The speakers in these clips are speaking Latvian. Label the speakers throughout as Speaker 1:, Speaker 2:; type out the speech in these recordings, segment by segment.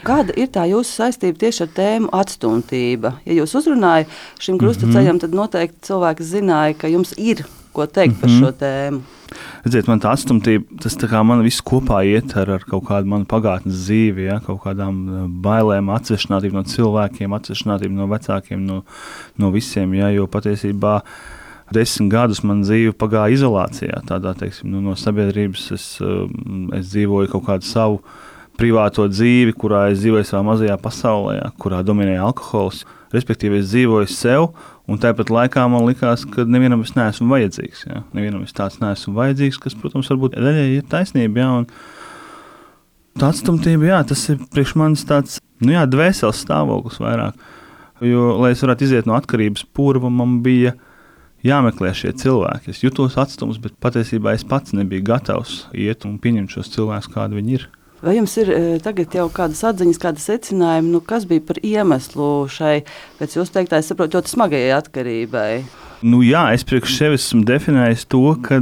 Speaker 1: Kāda ir tā jūsu saistība tieši ar tēmu atstumtība? Ja jūs uzrunājat šim krustaceļam, tad noteikti cilvēki zināja, ka jums ir ko teikt par šo tēmu.
Speaker 2: Redziet, man tā atstumtība, tas tā kā man viss kopā iet ar kaut kādu manu pagātnes dzīvi, ja, kaut kādām bailēm, atsvešinātību no cilvēkiem, atsvešinātību no vecākiem, no visiem, ja, jo patiesībā 10 gadus man dzīve pagāja izolācijā, tādā, teiksim, no sabiedrības es dzīvoju kaut kādu savu privāto dzīvi, kurā es dzīvoju savā mazajā pasaulē, ja, kurā dominēja alkohols, respektīvi es dzīvoju sev, un tāpat laikā man likās, ka nevienam es neesmu vajadzīgs. Ja? Nevienam es tāds neesmu vajadzīgs, kas, protams, varbūt daļai ir taisnība. Ja? Un tā atstumtība, jā, tas ir priekš manis tāds, dvēseles stāvoklis vairāk. Jo, lai es varētu iziet no atkarības purva, man bija jāmeklē šie cilvēki. Es jutos atstums, bet patiesībā es pats nebiju gatavs iet un pieņemt šos cilvēkus, kādi viņi ir.
Speaker 1: Vai jums ir tagad jau kādas atziņas, kāda secinājuma, kas bija par iemeslu šai, pēc jūs teiktā, es saprotu, ļoti smagajai atkarībai?
Speaker 2: Es priekš sevis esmu definējis to, ka,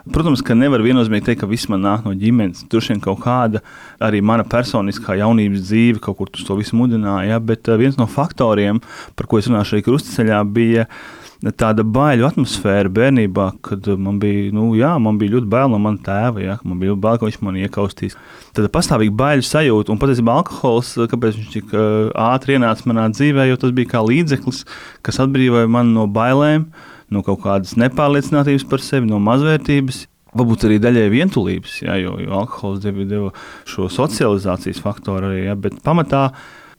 Speaker 2: protams, ka nevar viennozīmīgi teikt, ka viss man nāk no ģimenes. Droši vien kaut kāda arī mana personiskā jaunības dzīve kaut kur uz to visu mudināja, bet viens no faktoriem, par ko es runāju šajā krustaceļā, bija tāda baiļu atmosfēra bērnībā, kad man bija ļoti bail no mana tēva, ja, man bija bail, ka viņš mani iekaustīs. Tad pastāvīgi baiļu sajūta, un patiesībā alkohols, kāpēc viņš tik ātri ienāca manā dzīvē, jo tas bija kā līdzeklis, kas atbrīvoja mani no bailēm, no kaut kādas nepārliecinātības par sevi, no mazvērtības, varbūt arī daļai vientulības, ja, jo alkohols deva šo socializācijas faktoru arī, ja, bet pamatā,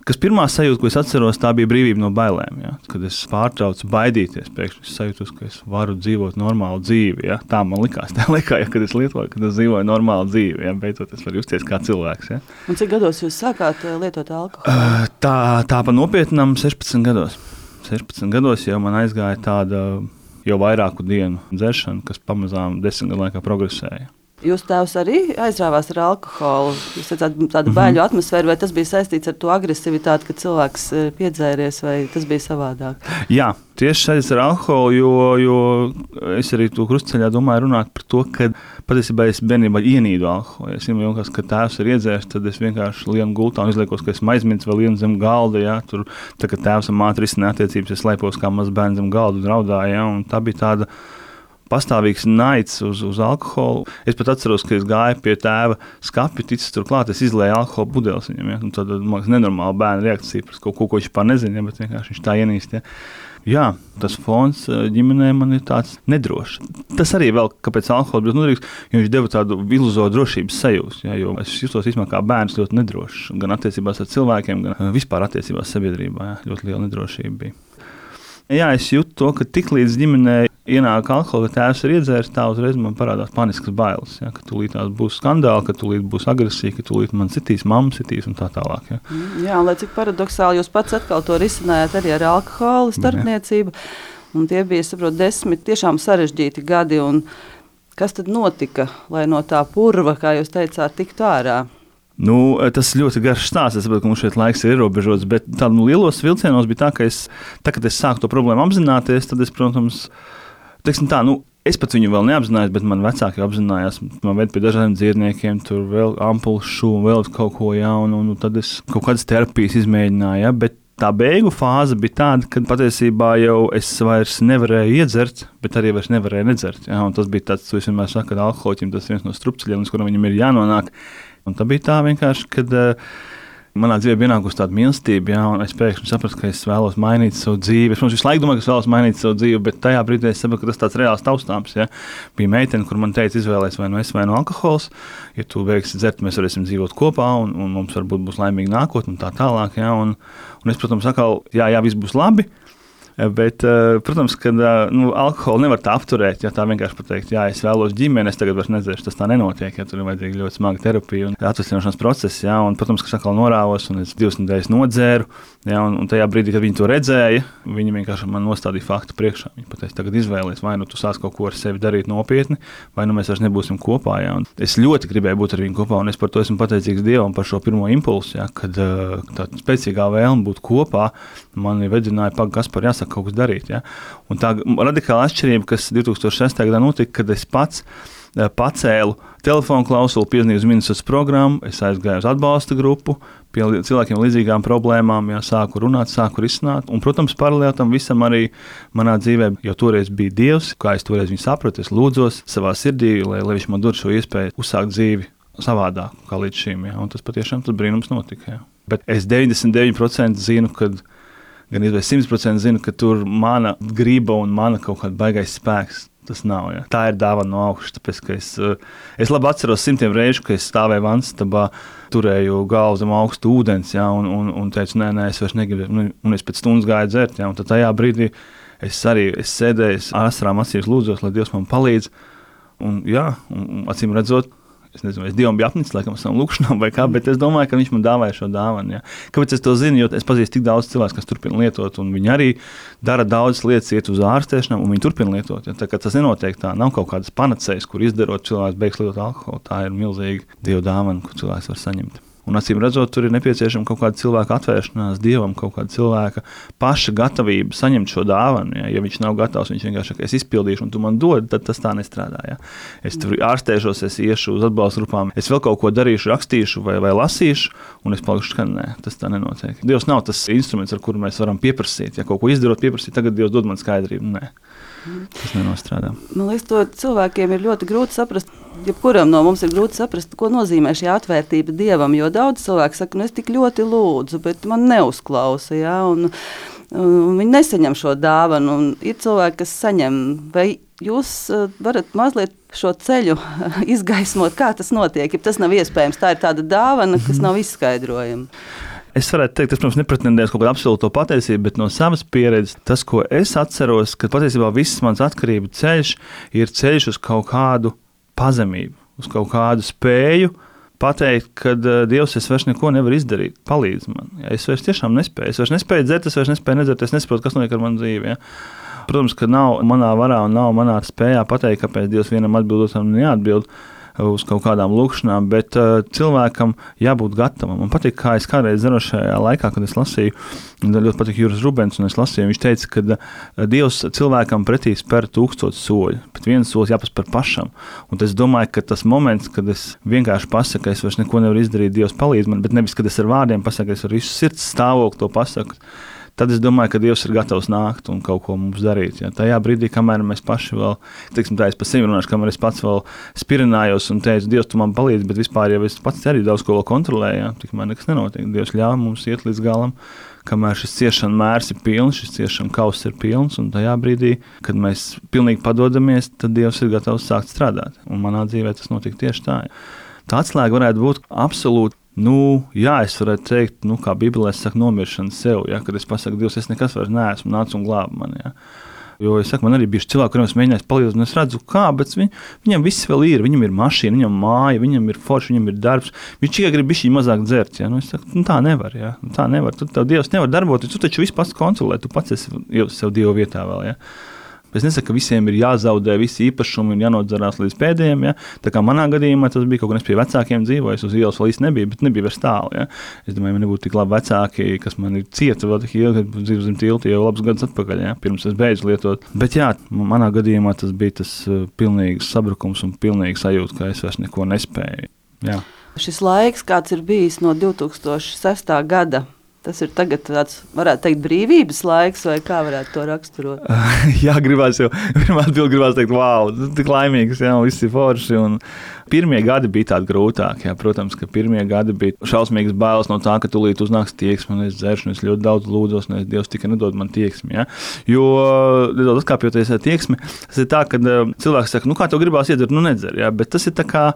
Speaker 2: kas pirmā sajūta, ko es atceros, tā bija brīvība no bailēm. Ja? Kad es pārtraucu baidīties, pēkšņi es sajūtos, ka es varu dzīvot normālu dzīvi. Ja? Tā man likās, kad es lietoju, kad es dzīvoju normālu dzīvi. Ja? Beidzot, es varu justies kā cilvēks. Ja?
Speaker 1: Un cik gados jūs sākāt lietot alkoholu?
Speaker 2: Tā pa nopietnam 16 gados. 16 gados jau man aizgāja tāda jau vairāku dienu dzeršana, kas pamazām 10 gadu laikā progresēja.
Speaker 1: Jūs tēvs arī aizrāvās ar alkoholu? Jūs teicāt, tādu baiļu atmosfēru, vai tas bija saistīts ar to agresivitāti, kad cilvēks piedzēries, vai tas bija savādāk? Jā,
Speaker 2: tieši saistīts ar alkoholu, jo es arī to krustaceļā domāju runāt par to, ka patiesībā es bērnībā ienīdu alkoholu. Ja es domāju, ka tēvs ir iedzērs, tad es vienkārši lienu gultā un izliekos, ka esmu aizmirsis vēl vienu zem galda. Ja, tur, tā kā tēvs un māte risināja attiecības, es slēpos kā mazs bērns zem galda un raudāju. Ja, un tā bija tāda pastāvīgs naids uz alkoholu. Es pat atceros, ka es gāju pie tēva skapja, ticis turklāt, es izlēju alkohola pudeles viņam. Ja? Un tad, man liekas, nenormāla bērna reakcija par kaut ko, ko viņš pār nezina, ja? Bet vienkārši viņš tā ienīst. Ja? Jā, tas fons ģimenē man ir tāds nedrošs. Tas arī vēl, kāpēc alkohols bija noderīgs, jo viņš deva tādu iluzoru drošības sajūtu. Ja? Jo es justos īstenībā kā bērns ļoti nedrošs, gan attiecībās ar cilvēkiem, gan vispār attiecībās sabiedrībā. Ja? Ļoti liela nedrošība bija. Jā, es jūtu to, ka tiklīdz ģimenē ienāk alkohola, ka tēvs ir iedzēris, tā uzreiz man parādās paniskas bailes. Ja, ka tūlīt būs skandāli, ka tūlīt būs agresija, ka tūlīt man citīs, mamma citīs un tā tālāk. Ja.
Speaker 1: Jā, un lai cik paradoxāli jūs pats atkal to risinājāt arī ar alkohola starpniecību. Un tie bija, saprot, 10 tiešām sarežģīti gadi. Un kas tad notika, lai no tā purva, kā jūs teicāt, tiktu ārā?
Speaker 2: Tas ļoti garš stāsts. Es saprotu, ka mums šeit laiks ir ierobežots, bet tādu lielos vilcienos bija tā, ka kad es sāku to problēmu apzināties, tad es, protams, es pat viņu vēl neapzinājos, bet man vecāki apzinājās. Man ved pie dažādiem dziedniekiem, tur vēl ampulšu un vēl kaut ko jaunu, un tad es kaut kādas terapijas izmēģināju, ja, bet tā beigu fāze bija tāda, ka patiesībā jau es vairs nevarēju iedzert, bet arī vairs nevarēju nedzert. Ja, un tas bija tāds, es vienmēr saku, ka alkoholiķim tas viens no strupceļiem, uz kuram viņam ir jānonāk. Un tā bija tā vienkārši, kad manā dzīvē bija ienākusi tāda mīlestība, ja, un es pēkšņi sapratu, ka es vēlos mainīt savu dzīvi. Es, protams, visu laiku domāju, ka es vēlos mainīt savu dzīvi, bet tajā brīdī es sapratu, ka tas tāds reāls taustāms. Ja. Bija meitene, kur man teica, izvēlēs vai nu es vai nu alkohols. Ja tu beigsi dzert, mēs varēsim dzīvot kopā, un mums varbūt būs laimīga nākotne un tā tālāk. Ja, un es, protams, atkal, jā, viss būs labi. Bet, protams, ka alkoholu nevar tā apturēt, ja tā vienkārši pateikt, jā, es vēlos ģimeni, es tagad vairs nedzeršu, tas tā nenotiek, ja tur ir vajadzīga ļoti smaga terapija un atvesļošanās process, ja, un, protams, ka es atkal norāvos un es 2 nedēļas nodzēru, ja, un tajā brīdī, kad viņi to redzēja, viņi vienkārši man nostādīja faktu priekšā. Viņi pateica, tagad izvēlies, vai nu tu sāc kaut ko ar sevi darīt nopietni, vai nu mēs vairs nebūsim kopā, ja, un es ļoti gribēju būt ar viņu kopā, un es par to esmu pateicīgs Dievam par šo pirmo impulsu, ja, kad tā spēcīgā vēlme būt kopā mani vedināja Kaspar, jāsaka, kaut kas darīt. Ja? Un tā radikāla atšķirība, kas 2006. gadā notika, kad es pats pacēlu telefonu klausuli, piezvanīju uz ministrs programmu, es aizgāju uz atbalsta grupu, pie cilvēkiem līdzīgām problēmām, sāku runāt, sāku risināt. Un, protams, paralēli tam visam arī manā dzīvē jau toreiz bija Dievs, kā es toreiz viņu sapratu, es lūdzos savā sirdī, lai viņš man dod šo iespēju uzsākt dzīvi savādāk kā līdz šim. Un tas patiešām tas brīnums notika. Bet es 99% zinu, kad gan izvēl 100% zinu, ka tur mana griba un mana kaut kāda baigais spēks. Tas nav. Ja. Tā ir dāvana no augšas. Tāpēc, ka es labi atceros simtiem reižu, kad es stāvēju vanstabā, turēju galvu zem augstu ūdens, ja, un teicu, nē, es vairs negribu. Un es pēc stundas gāju dzert. Ja, un tad tajā brīdī es sēdēju, asarām acīs lūdzos, lai Dievs man palīdz. Un acīm redzot, es nezinu, es Dievam biju apnicis, laikam, savam lūkšanām vai kā, bet es domāju, ka viņš man dāvāja šo dāvanu. Ja. Kāpēc es to zinu? Jo es pazīstu tik daudz cilvēku, kas turpina lietot, un viņi arī dara daudzas lietas, iet uz ārstēšanām, un viņi turpina lietot. Ja. Tā kā tas nenotiek tā, nav kaut kādas panacējas, kur izdarot cilvēks beigs lietot alkoholu. Tā ir milzīga Dieva dāvana, ko cilvēks var saņemt. Un acīm redzot, tur ir nepieciešama kaut kāda cilvēka atvēršanās Dievam, kaut kāda cilvēka paša gatavība saņemt šo dāvanu. Ja viņš nav gatavs, viņš vienkārši saka, es izpildīšu, un tu man dod, tad tas tā nestrādā. Ja. Es tur ārstēšos, es iešu uz atbalsta grupām, es vēl kaut ko darīšu, rakstīšu vai lasīšu, un es palikšu, ka nē, tas tā nenotiek. Dievs nav tas instruments, ar kuru mēs varam pieprasīt. Ja kaut ko izdarot, pieprasīt, tagad Dievs dod man skaidrību. Nē. Tas nenostrādā.
Speaker 1: Man liekas, to cilvēkiem ir ļoti grūti saprast. Jebkuram no mums ir grūti saprast, ko nozīmē šī atvērtība Dievam. Jo daudz cilvēku saka, es tik ļoti lūdzu, bet man neuzklausa. Ja? Un viņi nesaņem šo dāvanu. Un ir cilvēki, kas saņem. Vai jūs varat mazliet šo ceļu izgaismot, kā tas notiek? Ja tas nav iespējams, tā ir tāda dāvana, kas nav izskaidrojama.
Speaker 2: Es varētu teikt, tas, protams, nepretendēs kaut kādu absolūto patiesību, bet no savas pieredzes tas, ko es atceros, ka patiesībā viss mans atkarību ceļš ir ceļš uz kaut kādu pazemību, uz kaut kādu spēju pateikt, ka Dievs, es vairs neko nevaru izdarīt, palīdz man. Ja, es vairs tiešām nespēju. Es vairs nespēju dzert, es vairs nespēju nedzert, es nesaprotu, kas notiek ar manu dzīvi. Ja. Protams, ka nav manā varā un nav manā spējā pateikt, kāpēc Dievs vienam atbild, otram neatbild uz kaut kādām lūkšanām, bet cilvēkam jābūt gatavam. Man patīk, kā es kādreiz šajā laikā, kad es lasīju, ļoti patīk Juris Rubens, un es lasīju, viņš teica, ka Dievs cilvēkam pretī spēr 1000 soļu, bet viens solis jāpaspēr pašam. Un es domāju, ka tas moments, kad es vienkārši pasaku, ka es vairs neko nevaru izdarīt, Dievs palīdz man, bet nevis, kad es ar vārdiem pasaku, es ar visu sirds stāvokli to pasaku, tad es domāju, ka Dievs ir gatavs nākt un kaut ko mums darīt. Ja. Tajā brīdī, kamēr mēs paši vēl, tā es pa sevi runāšu, kamēr es pats vēl spirinājos un teicu, Dievs, tu man palīdzi, bet vispār jau es pats arī daudz ko vēl kontrolēju, ja. Tikmēr nekas nenotiek. Dievs ļauj mums iet līdz galam, kamēr šis ciešana mērs ir pilns, šis ciešana kauss ir pilns, un tajā brīdī, kad mēs pilnīgi padodamies, tad Dievs ir gatavs sākt strādāt. Un manā dzīvē tas notika tieši tā. Tā atslēga varētu būt absolūti. Es varētu teikt, kā Bībelē saka, nomiršana sev, ja, kad es pasaku, Dievs, es nekas vairs neesmu, nāc un glāb mani. Ja. Jo es saku, man arī bija cilvēki, kuriem es mēģināju palīdzēt, un es redzu, kā, bet viņam viss vēl ir, viņam ir mašīna, viņam māja, viņam ir forši, viņam ir darbs, viņš tikai grib bišķiņ mazāk dzert. Ja. Es saku, tā nevar, ja. Tā nevar, tev Dievs nevar darboties, tu taču visu pats kontrolē, tu pats esi sev Dieva vietā vēl. Ja. Es nesaku, ka visiem ir jāzaudē visi īpašumi un jānodzerās līdz pēdējiem. Ja? Tā kā manā gadījumā tas bija kaut kas, pie vecākiem dzīvojis, uz ielas vēl īsti nebija, bet nebija vairs tālu. Ja? Es domāju, man nebūtu tik labi vecāki, kas man ir cieta vēl tik ilgi, kad dzīvo zem tilta jau labs gadus atpakaļ, ja? Pirms es beidzu lietot. Bet jā, manā gadījumā tas bija tas pilnīgs sabrukums un pilnīgs sajūta, ka es vairs neko nespēju. Jā.
Speaker 1: Šis laiks, kāds ir bijis no 2006. gada, tas ir tagad tāds, varētu teikt, brīvības laiks, vai kā varētu to raksturot?
Speaker 2: Jā, gribās teikt, wow, tik laimīgs, jā, viss ir forši. Un pirmie gadi bija tādi grūtāki, jā, protams, ka pirmie gadi bija šausmīgas bailes no tā, ka tūlīt uznāks tieksme, un es dzeršu, un es ļoti daudz lūdzos, un Dievs tikai nedod man tieksmi, jā. Jo, nedaudz atkāpjoties tieksmi, tas ir tā, ka cilvēks saka, kā tev gribās iedzert, nedzer, jā, bet tas ir tā kā,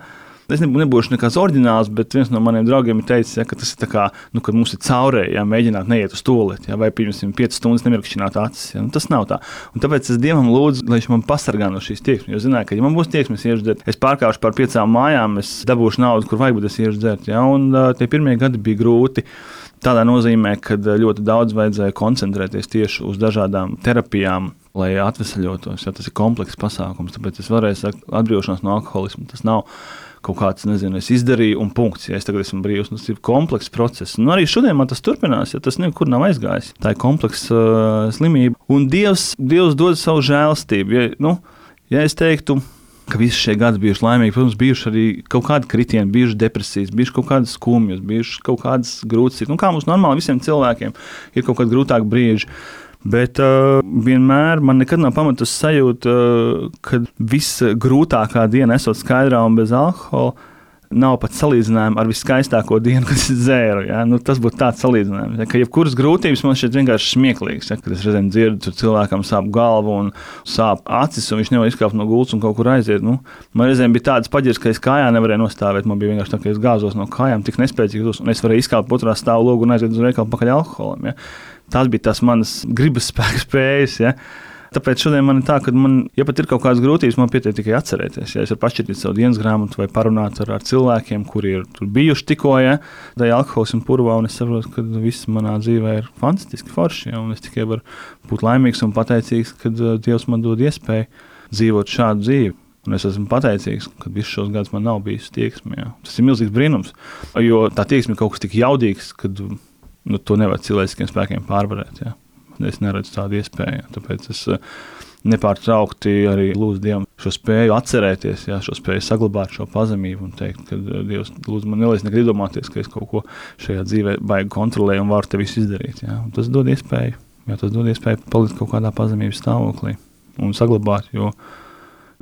Speaker 2: es nebūšu nekāds oriģināls, bet viens no maniem draugiem ir teicis, ja, ka tas ir tā kā, kad mums ir caurēji, ja, mēģināt neiet uz tualeti, ja, vai pirms 5 stundas nemirkšķināt acis. Ja, tas nav tā. Un tāpēc es Dievam lūdzu, lai viņš man pasargā no šīs tieksmes. Jo zināju, ka ja man būs tieksmes iešu dzert, es pārkāpšu par 5 mājām, es dabūšu naudu, kur vajag, bet es iešu dzert. Ja, un tie pirmie gadi bija grūti. Tādā nozīmē, ka ļoti daudz vajadzēja koncentrēties tieši uz dažādām terapijām, lai atvesaļotos. Ja, tas ir komplekss pasākums, tāpēc es varēju sakt, atbrīvošanās no alkoholisma. Tas nav kaut kāds, es izdarīju un punkts, ja es tagad esmu brīvs. Tas ir komplekss process. Un arī šodien man tas turpinās, ja tas nekur nav aizgājis. Tā ir kompleksa slimība. Un Dievs dod savu žēlastību. Ja es teiktu, ka visi šie gadi bijuši laimīgi. Protams, bijuši arī kaut kādi kritieni, bijuši depresijas, bijuši kaut kādas skumjas, bijuši kaut kādas grūtas. Kā mums normāli visiem cilvēkiem ir kaut kādi grūtāki brīži. Bet vienmēr man nekad nav pamatus sajūta, ka viss grūtākā diena esot skaidrā un bez alkohola nav pat salīdzinājuma ar viskaistāko dienu, kad es dzēru. Ja? Tas būtu tāds salīdzinājums. Ja? Ka jebkuras grūtības man šķiet vienkārši smieklīgas. Ja? Kad es reizēm dzirdu, tur cilvēkam sāp galva un sāp acis, un viņš nevar izkāpt no gultas un kaut kur aiziet. Man reizēm bija tādas paģiras, ka es kājā nevarēju nostāvēt. Man bija vienkārši tā, ka es gāzos no kājām tik nespēcīgs, un es varēju izkāpt otrā stāvu logu un aiziet uz veikalu pakaļ alkoholam. Ja? Tās bija tās manas gribas spēka spējas. Ja? Tāpēc šodien man ir tā, ka ja pat ir kaut kādas grūtības, man pietiek tikai atcerēties. Ja es varu pašķirtīt savu dienas grāmatu vai parunāt ar cilvēkiem, kuri ir tur bijuši tikko, ja, tā ir alkohols un purvā, un es saprotu, ka viss manā dzīvē ir fantastiski forši, ja, un es tikai varu būt laimīgs un pateicīgs, kad Dievs man dod iespēju dzīvot šādu dzīvi. Un es esmu pateicīgs, ka visus šos gadus man nav bijis tieksme. Ja. Tas ir milzīgs brīnums, jo tā tieksme ir kaut kas tik jaudīgs, ka to nevar cilvēciskiem spēkiem pārvarēt. Ja. Es neredzu tādu iespēju, tāpēc es nepārtraukti arī lūdzu Dievam šo spēju atcerēties, jā, šo spēju saglabāt šo pazemību un teikt, ka Dievs lūdzu man neliec nekad iedomāties, ka es kaut ko šajā dzīvē baigi kontrolēju un varu te visu izdarīt. Jā. Un tas dod iespēju, palikt kaut kādā pazemības stāvoklī un saglabāt, jo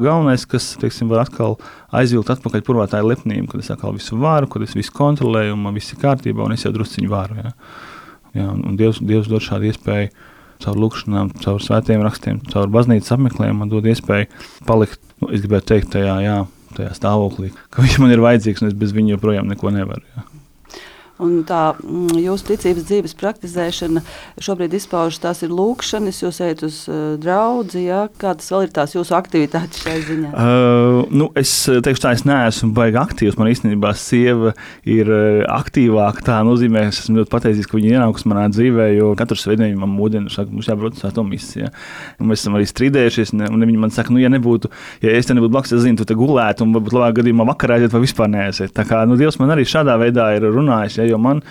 Speaker 2: galvenais, kas, teiksim, var atkal aizvilkt atpakaļ purvā, tā ir lepnība, kad es atkal visu varu, kad es visu kontrolēju un man viss ir kārtībā un es jau drusciņu varu, jā. Jā, un Dievs dod šādu iespēju caur lūkšanām, caur svētiem rakstiem, caur baznīcas apmeklējumu, man dod iespēju palikt, es gribētu teikt, tajā stāvoklī, ka viņš man ir vajadzīgs un es bez viņa joprojām neko nevaru. Jā.
Speaker 1: Un tā jūsu ticības dzīves praktizēšana šobrīd izpaužas, tās ir lūkšanas, jūs ejat uz draudzi, ja? Kādas vēl ir tās jūsu aktivitātes šai ziņā?
Speaker 2: Es teikšu tā, es neesmu baigi aktīvs, man īstenībā sieva ir aktīvāka, tā nozīmē, es esmu ļoti pateicīgs, ka viņa ienākus manā dzīvē, jo katru svētdienu man mūdina, saka, mums jābrauc uz svēto misiju, ja? Un mēs esam arī strīdējušies, un viņa man saka, ja es te nebūtu blakus, es zinu, tu te gulētu, un varbūt labāk gadījumā vakarā aiziet vai vispār neaiziet. Tā kā, Dievs man arī šādā veidā ir runājis, jo man,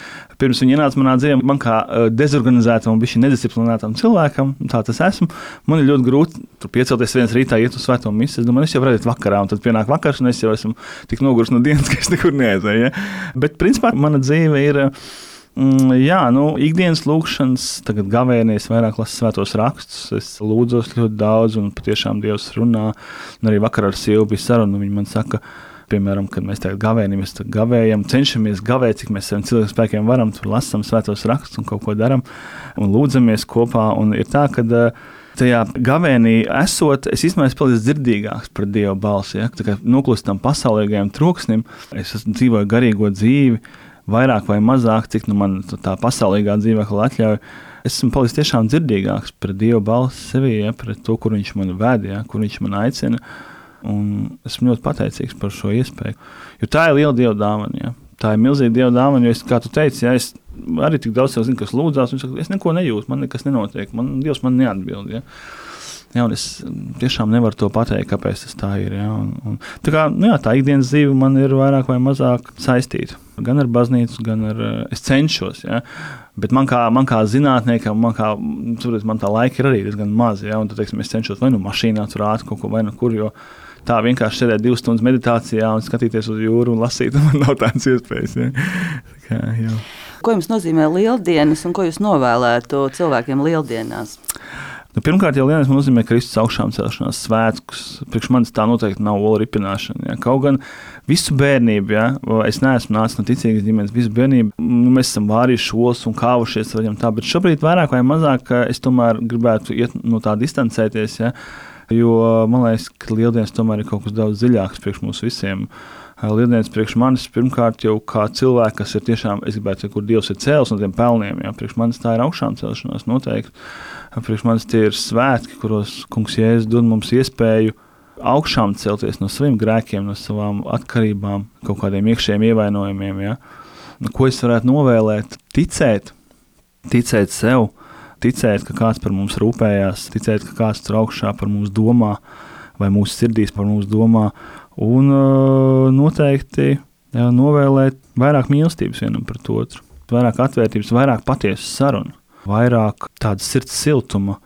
Speaker 2: pirms viņa ienāca manā dzīvē, man kā dezorganizētam un bišķi nedisciplinētam cilvēkam, tā tas esmu, man ir ļoti grūti tur piecelties viens rītā, iet uz svēto misiju. Es domāju, es jau varu iet vakarā, un tad pienāk vakars, un es jau esmu tik noguris no dienas, ka es nekur neaizēju. Ja? Bet, principā, mana dzīve ir, ikdienas lūkšanas, tagad gavēnies vairāk lasu svētos rakstus, es lūdzos ļoti daudz, un patiešām Dievs runā, un arī vakar ar sievu bija saruna, un viņa man saka, piemēram, kad mēs tagad gavējam, cenšamies gavēt, cik mēs saviem cilvēku spēkiem varam, tur lasam svētos rakstus un kaut ko daram un lūdzamies kopā. Un ir tā, ka tajā gavēnī esot, es īstenībā esmu palicis dzirdīgāks par Dieva balsi. Ja? Tā kā noklust tam pasaulīgajam troksnim, es dzīvoju garīgo dzīvi, vairāk vai mazāk, cik man tā pasaulīgā dzīvekla atļauj. Es esmu palicis tiešām dzirdīgāks par Dieva balsi sevī, ja? Pret to, kur viņš man ved, ja? Kur viņš man aicina. Un esmu ļoti pateicīgs par šo iespēju. Jo tā ir liela Dieva dāvana. Ja? Tā ir milzīga Dieva dāvana, jo, kā tu teici, ja, es arī tik daudz sev zinu, kas lūdzās, un es neko nejūtu, man nekas nenotiek, Dievs man neatbild. Ja? Ja, un es tiešām nevaru to pateikt, kāpēc tas tā ir. Ja? Tā ikdienas dzīve man ir vairāk vai mazāk saistīta. Gan ar baznīcu, gan ar es cenšos. Ja? Bet man kā zinātniekam, man tā laika ir arī diezgan maz. Ja? Un tad, teiksim, es cenšos vai mašīnā tur ātri kaut ko vai kur, jo tā vienkārši sēdēt 2 stundas meditācijā un skatīties uz jūru un lasīt, man nav tādas iespējas. Ja?
Speaker 1: Ko jums nozīmē lieldienas un ko jūs novēlētu cilvēkiem lieldienās?
Speaker 2: Pirmkārt, jau lieldienās nozīmē Kristus augšām celšanās svētkus. Priekš manis tā noteikti nav ola ripināšana. Ja? Kaut gan visu bērnību, ja? Es neesmu nācis no ticīgas ģimenes, visu bērnību, mēs esam vārījuši olas un kāvušies, bet šobrīd vairāk vai mazāk es tomēr gribētu iet no tā distancēties, ja? Jo man liekas, ka lieldienas tomēr ir kaut kas daudz dziļāks priekš mums visiem. Lieldienas priekš manis pirmkārt jau kā cilvēki, kas ir tiešām, es gribētu teikt, kur Dievs ir cēlis no tiem pelniem. Ja? Priekš manis tā ir augšām celšanās noteikti. Priekš manis tie ir svētki, kuros Kungs Jēzus dod mums iespēju augšām celties no saviem grēkiem, no savām atkarībām, kaut kādiem iekšējiem ievainojumiem. Ja? Ko es varētu novēlēt? Ticēt sev. Ticēt, ka kāds par mums rūpējās, ticēt, ka kāds tur augšā par mums domā, vai mūsu sirdīs par mums domā, un noteikti novēlēt vairāk mīlestības vienam pret otru, vairāk atvērtības, vairāk patiesas sarunu, vairāk tādas sirds siltuma,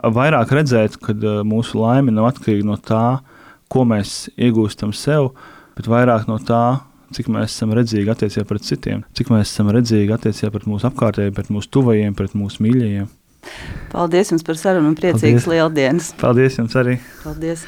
Speaker 2: vairāk redzēt, ka mūsu laime nav atkarīga no tā, ko mēs iegūstam sev, bet vairāk no tā, cik mēs esam redzīgi attiecībā pret citiem, cik mēs esam redzīgi attiecībā pret mūsu apkārtējiem, pret mūsu tuvajiem, pret mūsu mīļajiem.
Speaker 1: Paldies jums par sarunu un priecīgas lieldienas.
Speaker 2: Paldies jums arī.
Speaker 1: Paldies.